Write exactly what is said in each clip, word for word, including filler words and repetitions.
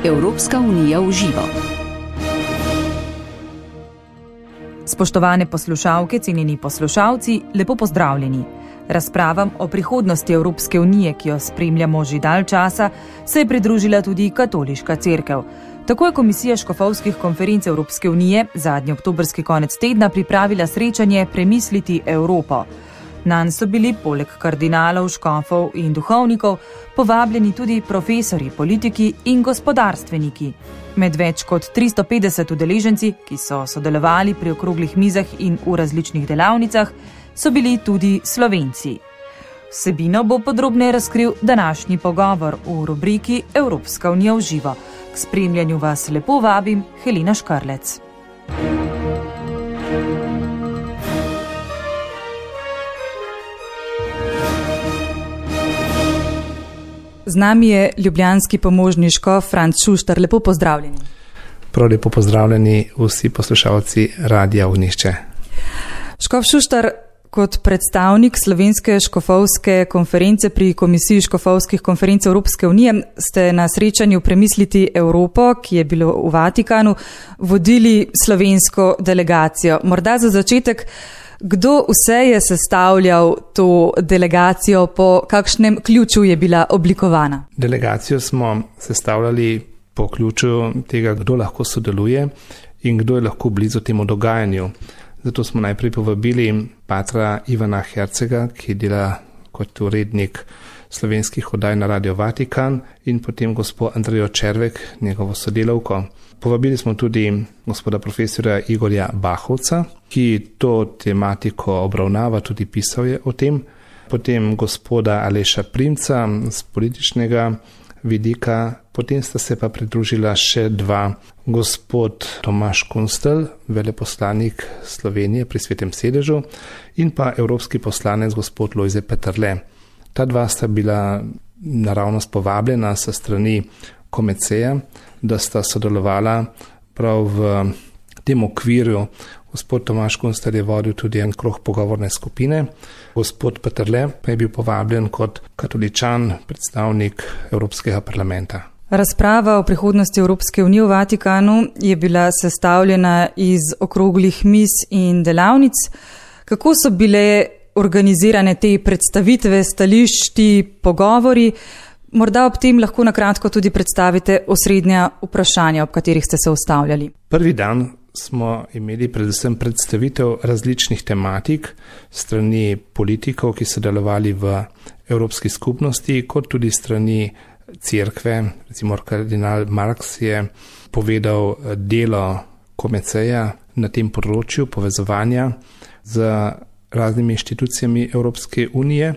Evropska unija v živo. Spoštovane poslušalke, cenjeni poslušalci, lepo pozdravljeni. Razpravam o prihodnosti Evropske unije, ki jo spremljamo že dalj časa, se je pridružila tudi katoliška cerkev. Tako je Komisija škofovskih konferenc Evropske unije zadnji oktobrski konec tedna pripravila srečanje Premisliti Evropo. Nanj so bili poleg kardinalov, škofov in duhovnikov povabljeni tudi profesorji, politiki in gospodarstveniki. Med več kot tristo petdeset udeleženci, ki so sodelovali pri okroglih mizah in v različnih delavnicah, so bili tudi Slovenci. Vsebino bo podrobneje razkril današnji pogovor v rubriki Evropska unija v živo. K spremljanju vas lepo vabim Helena Škarlec. Z nami je ljubljanski pomožni škof Franc Šuštar. Lepo pozdravljeni. Prav lepo pozdravljeni vsi poslušalci Radia Ognjišče. Škof Šuštar, kot predstavnik Slovenske škofovske konference pri Komisiji škofovskih konferenc Evropske unije ste na srečanju Premisliti Evropo, ki je bilo v Vatikanu, vodili slovensko delegacijo. Morda za začetek, kdo vse je sestavljal to delegacijo, po kakšnem ključu je bila oblikovana? Delegacijo smo sestavljali po ključu tega, kdo lahko sodeluje in kdo je lahko blizu temu dogajanju. Zato smo najprej povabili patra Ivana Hercega, ki dela kot urednik slovenskih oddaj na Radio Vatikan, in potem gospod Andrejo Červek, njegovo sodelavko. Povabili smo tudi gospoda profesorja Igorja Bahovca, ki to tematiko obravnava, tudi pisal je o tem. Potem gospoda Aleša Primca z političnega vidika. Potem sta se pa pridružila še dva, gospod Tomaž Kunstelj, veleposlanik Slovenije pri Svetem sedežu, in pa evropski poslanec gospod Lojze Peterle. Ta dva sta bila naravnost povabljena sa strani Komeceja, da sta sodelovala prav v tem okvirju. Gospod Tomaž Kunstelj je vodil tudi en krog pogovorne skupine. Gospod Peterle pa je bil povabljen kot katoličan, predstavnik Evropskega parlamenta. Razprava o prihodnosti Evropske unije v Vatikanu je bila sestavljena iz okroglih miz in delavnic. Kako so bile organizirane te predstavitve, stališči, pogovori? Morda ob tem lahko na kratko tudi predstavite osrednja vprašanja, ob katerih ste se ustavljali. Prvi dan smo imeli predvsem predstavitev različnih tematik strani politikov, ki so delovali v Evropski skupnosti, kot tudi strani cerkve. Recimo kardinal Marks je povedal delo Komeceja na tem področju povezovanja z raznimi inštitucijami Evropske unije.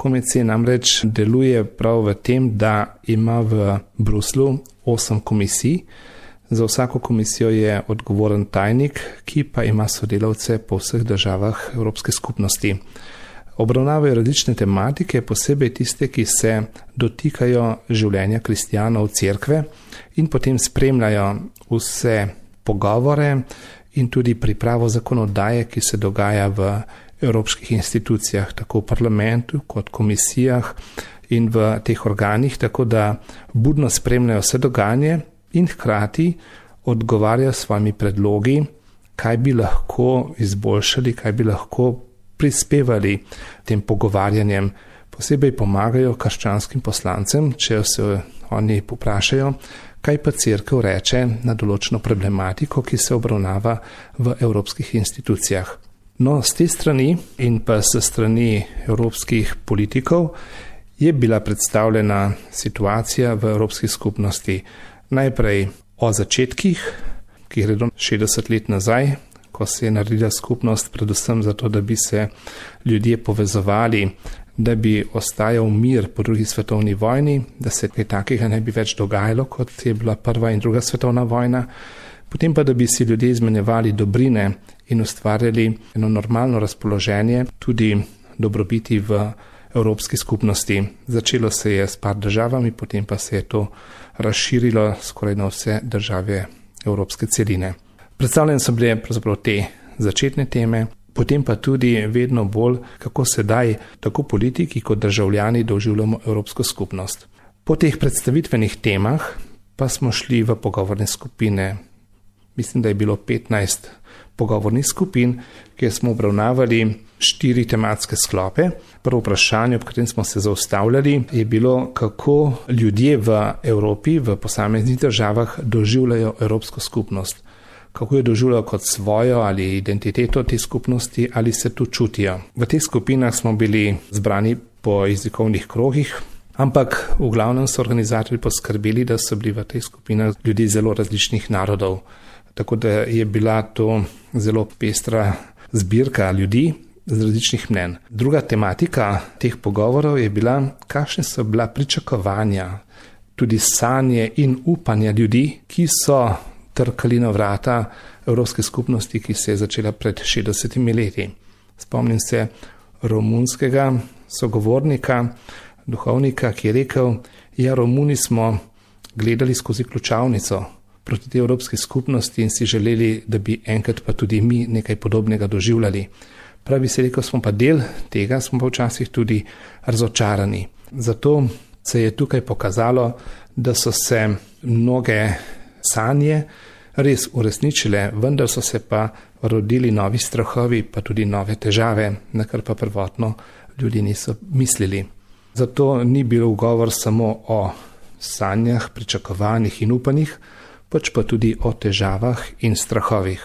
Komecej namreč deluje prav v tem, da ima v Bruslu osem komisij. Za vsako komisijo je odgovoren tajnik, ki pa ima sodelavce po vseh državah Evropske skupnosti. Obravnavajo različne tematike, posebej tiste, ki se dotikajo življenja kristjanov cerkve, in potem spremljajo vse pogovore in tudi pripravo zakonodaje, ki se dogaja v evropskih institucijah, tako v parlamentu kot komisijah in v teh organih, tako da budno spremljajo vse dogajanje in hkrati odgovarjajo s svojimi predlogi, kaj bi lahko izboljšali, kaj bi lahko prispevali tem pogovarjanjem. Posebej pomagajo krščanskim poslancem, če se oni poprašajo, kaj pa cerkev reče na določeno problematiko, ki se obravnava v evropskih institucijah. No, z te strani in pa s strani evropskih politikov je bila predstavljena situacija v Evropski skupnosti. Najprej o začetkih, ki gredo šestdeset let nazaj, ko se je naredila skupnost predvsem zato, da bi se ljudje povezovali, da bi ostajal mir po drugi svetovni vojni, da se kaj takega ne bi več dogajalo, kot je bila prva in druga svetovna vojna, potem pa, da bi si ljudje izmenjevali dobrine in ustvarjali eno normalno razpoloženje, tudi dobrobiti v Evropski skupnosti. Začelo se je s par državami, potem pa se je to razširilo skoraj na vse države Evropske celine. Predstavljene so bile pravzaprav te začetne teme, potem pa tudi vedno bolj, kako sedaj tako politiki kot državljani doživljamo Evropsko skupnost. Po teh predstavitvenih temah pa smo šli v pogovorne skupine. Mislim, da je bilo petnajst pogovornih skupin, kjer smo obravnavali štiri tematske sklope. Prvo vprašanje, ob katerem smo se zaustavljali, je bilo, kako ljudje v Evropi, v posameznih državah doživljajo Evropsko skupnost. Kako jo doživljajo kot svojo ali identiteto te skupnosti, ali se tu čutijo. V teh skupinah smo bili zbrani po jezikovnih krogih, ampak v glavnem so organizatorji poskrbeli, da so bili v teh skupinah ljudi zelo različnih narodov. Tako da je bila to zelo pestra zbirka ljudi z različnih mnen. Druga tematika teh pogovorov je bila, kakšne so bila pričakovanja, tudi sanje in upanja ljudi, ki so trkali na vrata Evropske skupnosti, ki se je začela pred šestdesetimi leti. Spomnim se romunskega sogovornika, duhovnika, ki je rekel, ja, Romuni smo gledali skozi ključavnico proti tej Evropski skupnosti in si želeli, da bi enkrat pa tudi mi nekaj podobnega doživljali. Pravi se rekel, smo pa del tega, smo pa včasih tudi razočarani. Zato se je tukaj pokazalo, da so se mnoge sanje res uresničile, vendar so se pa rodili novi strahovi, pa tudi nove težave, na kar pa prvotno ljudi niso mislili. Zato ni bil govor samo o sanjah, pričakovanjih in upanjih, pač pa tudi o težavah in strahovih.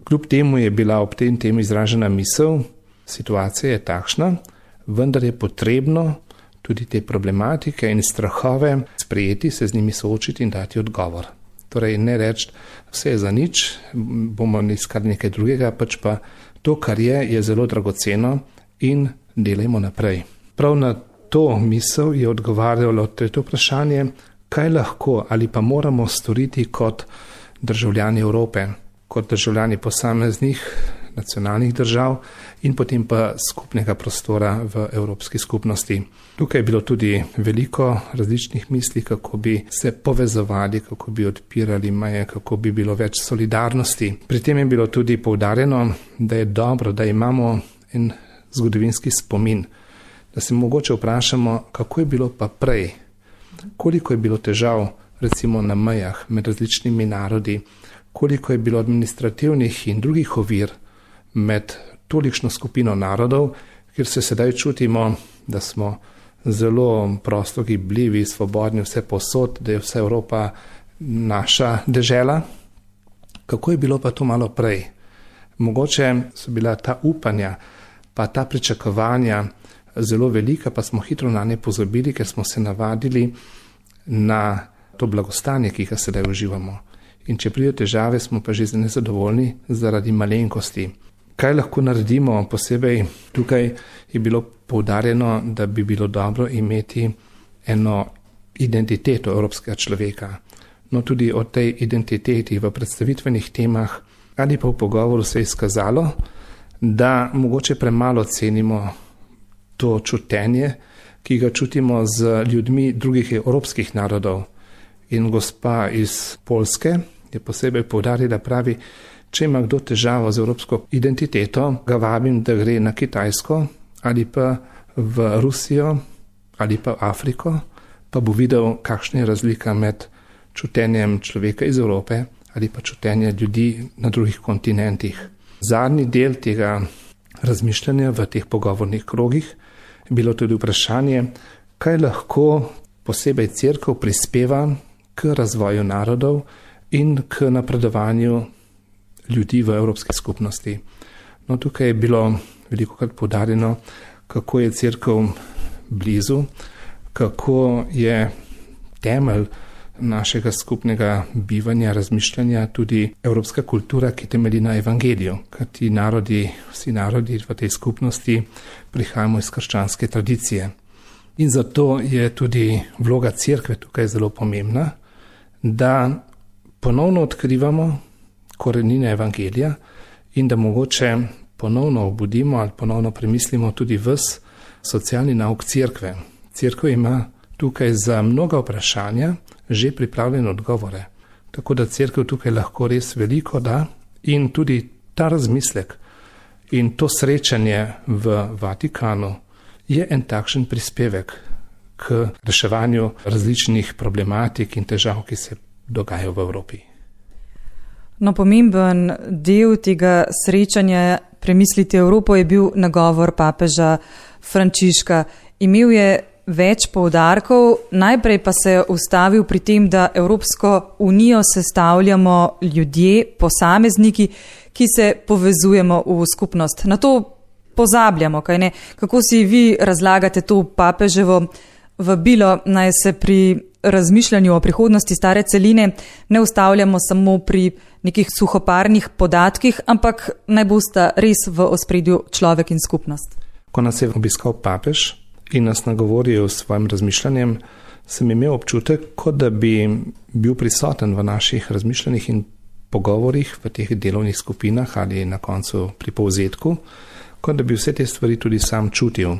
Kljub temu je bila ob tem temu izražena misel, situacija je takšna, vendar je potrebno tudi te problematike in strahove sprejeti, se z njimi soočiti in dati odgovor. Torej ne reči, vse je za nič, bomo iskali nekaj drugega, pač pa to, kar je, je zelo dragoceno in delajmo naprej. Prav na to misel je odgovarjalo tretje vprašanje, kaj lahko ali pa moramo storiti kot državljani Evrope, kot državljani posameznih nacionalnih držav in potem pa skupnega prostora v Evropski skupnosti. Tukaj je bilo tudi veliko različnih misli, kako bi se povezovali, kako bi odpirali meje, kako bi bilo več solidarnosti. Pri tem je bilo tudi poudarjeno, da je dobro, da imamo en zgodovinski spomin, da se mogoče vprašamo, kako je bilo pa prej, koliko je bilo težav recimo na mejah med različnimi narodi, koliko je bilo administrativnih in drugih ovir med tolikšno skupino narodov, kjer se sedaj čutimo, da smo zelo prosto gibljivi, svobodni vse posod, da je vsa Evropa naša dežela. Kako je bilo pa to malo prej? Mogoče so bila ta upanja, pa ta pričakovanja zelo velika, pa smo hitro na ne pozabili, ker smo se navadili na to blagostanje, ki ga sedaj uživamo. In če pridejo težave, smo pa že nezadovoljni zaradi malenkosti. Kaj lahko naredimo? Posebej tukaj je bilo poudarjeno, da bi bilo dobro imeti eno identiteto evropskega človeka. No, tudi o tej identiteti v predstavitvenih temah ali pa v pogovoru se je izkazalo, da mogoče premalo cenimo to čutenje, ki ga čutimo z ljudmi drugih evropskih narodov. In gospa iz Poljske je posebej poudarila, pravi, če ima kdo težavo z evropsko identiteto, ga vabim, da gre na Kitajsko ali pa v Rusijo ali pa v Afriko, pa bo videl, kakšna je razlika med čutenjem človeka iz Evrope ali pa čutenjem ljudi na drugih kontinentih. Zadnji del tega razmišljanja v teh pogovornih krogih je bilo tudi vprašanje, kaj lahko posebej cerkev prispeva k razvoju narodov in k napredovanju ljudi v Evropski skupnosti. No, tukaj je bilo velikokrat poudarjeno, kako je cerkev blizu, kako je temelj našega skupnega bivanja, razmišljanja tudi evropska kultura, ki temelji na evangeliju. Ker ti narodi, vsi narodi v tej skupnosti prihajamo iz krščanske tradicije. In zato je tudi vloga cerkve tukaj zelo pomembna, da ponovno odkrivamo korenine evangelija in da mogoče ponovno obudimo ali ponovno premislimo tudi ves socialni nauk cerkve. Cerkev ima tukaj za mnoga vprašanja že pripravljene odgovore. Tako da cerkev tukaj lahko res veliko da in tudi ta razmislek in to srečanje v Vatikanu je en takšen prispevek k reševanju različnih problematik in težav, ki se dogaja v Evropi. No, pomemben del tega srečanja Premisliti Evropo je bil nagovor papeža Frančiška. Imel je več poudarkov, najprej pa se je ustavil pri tem, da Evropsko unijo sestavljamo ljudje, posamezniki, ki se povezujemo v skupnost. Na to pozabljamo, kaj ne? Kako si vi razlagate to papeževo vabilo, naj se pri razmišljanju o prihodnosti stare celine ne ustavljamo samo pri nekih suhoparnih podatkih, ampak naj bosta res v ospredju človek in skupnost? Ko nas je obiskal papež in nas nagovoril s svojim razmišljanjem, sem imel občutek, kot da bi bil prisoten v naših razmišljanjih in pogovorih v teh delovnih skupinah ali na koncu pri povzetku, kot da bi vse te stvari tudi sam čutil.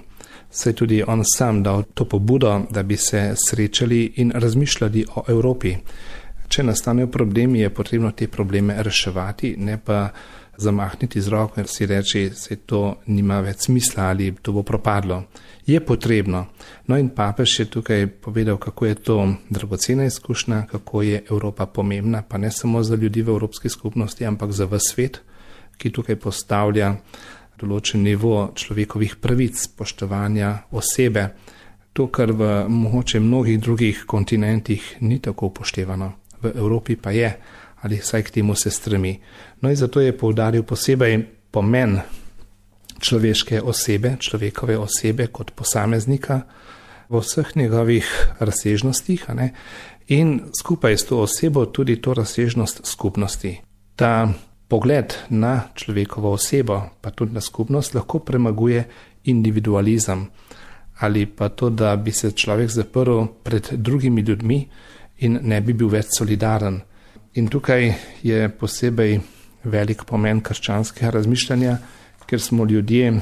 Saj tudi on sam dal to pobudo, da bi se srečali in razmišljali o Evropi. Če nastanejo problemi, je potrebno te probleme reševati, ne pa zamahniti z roko in si reči, se to nima več smisla ali to bo propadlo. Je potrebno. No in papež je tukaj povedal, kako je to dragocena izkušnja, kako je Evropa pomembna, pa ne samo za ljudi v Evropski skupnosti, ampak za ves svet, ki tukaj postavlja določen nivo človekovih pravic, spoštovanja osebe, to, kar v mogoče mnogih drugih kontinentih ni tako upoštevano. V Evropi pa je, ali vsaj k temu se stremi. No in zato je poudaril posebej pomen človeške osebe, človekove osebe kot posameznika v vseh njegovih razsežnostih, a ne? In skupaj s to osebo tudi to razsežnost skupnosti. Ta pogled na človekovo osebo, pa tudi na skupnost, lahko premaguje individualizem ali pa to, da bi se človek zaprl pred drugimi ljudmi in ne bi bil več solidaren. In tukaj je posebej velik pomen krščanskega razmišljanja, ker smo ljudje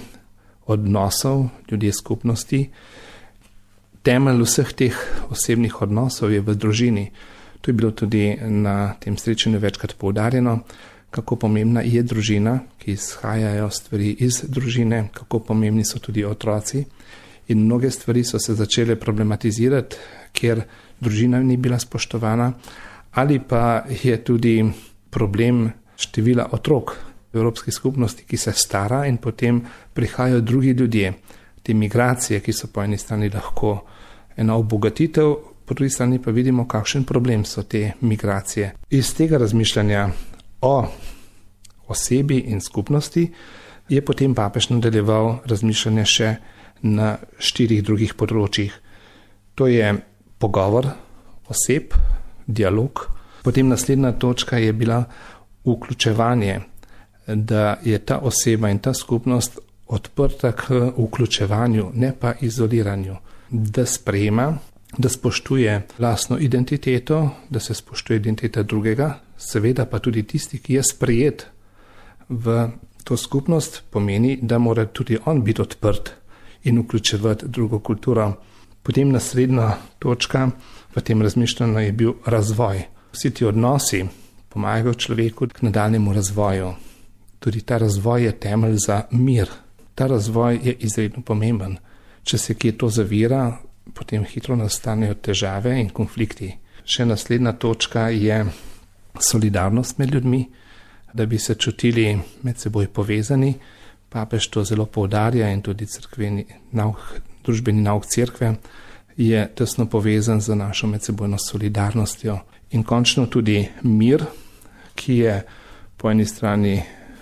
odnosov, ljudje skupnosti. Temelj vseh teh osebnih odnosov je v družini. To je bilo tudi na tem srečanju večkrat poudarjeno, kako pomembna je družina, ki izhajajo stvari iz družine, kako pomembni so tudi otroci. In mnoge stvari so se začele problematizirati, ker družina ni bila spoštovana, ali pa je tudi problem števila otrok v Evropski skupnosti, ki se stara in potem prihajajo drugi ljudje. Te migracije, ki so po eni strani lahko ena obogatitev, po drugi strani pa vidimo, kakšen problem so te migracije. Iz tega razmišljanja o osebi in skupnosti je potem papež nadaljeval razmišljanje še na štirih drugih področjih. To je pogovor oseb, dialog. Potem naslednja točka je bila vključevanje, da je ta oseba in ta skupnost odprta k vključevanju, ne pa izoliranju, da sprejema, da spoštuje lastno identiteto, da se spoštuje identiteta drugega, seveda pa tudi tisti, ki je sprejet v to skupnost, pomeni, da mora tudi on biti odprt in vključevati drugo kulturo. Potem naslednja točka v tem razmišljanju je bil razvoj. Vsi ti odnosi pomagajo človeku k nadaljnjemu razvoju. Tudi ta razvoj je temelj za mir. Ta razvoj je izredno pomemben. Če se kje to zavira, potem hitro nastanejo težave in konflikti. Še naslednja točka je solidarnost med ljudmi, da bi se čutili med seboj povezani. Papež to zelo poudarja in tudi cerkveni nauk, družbeni nauk cerkve je tesno povezan z našo medsebojno solidarnostjo. In končno tudi mir, ki je po eni strani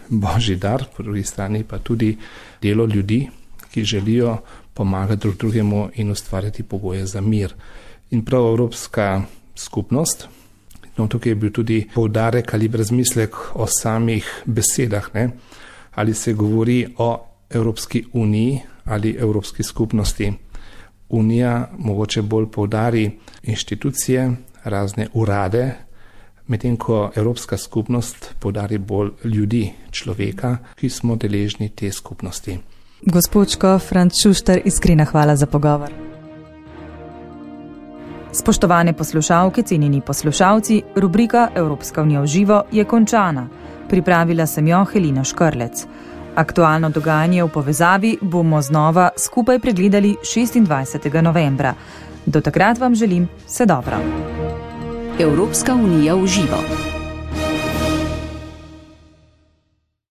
božji dar, po drugi strani pa tudi delo ljudi, ki želijo pomagati drug drugemu in ustvarjati pogoje za mir. In prav Evropska skupnost, no tukaj je bil tudi poudarek ali razmislek o samih besedah, ne? Ali se govori o Evropski uniji ali Evropski skupnosti. Unija mogoče bolj poudari inštitucije, razne urade, medtem ko Evropska skupnost poudari bolj ljudi, človeka, ki smo deležni te skupnosti. Gospod škof Franc Šuštar, iskrena hvala za pogovor. Spoštovane poslušalke, cenjeni poslušalci, rubrika Evropska unija v živo je končana. Pripravila sem jo Helena Škrlec. Aktualno dogajanje v povezavi bomo znova skupaj pregledali šestindvajsetega novembra. Do takrat vam želim vse dobro. Evropska unija v živo.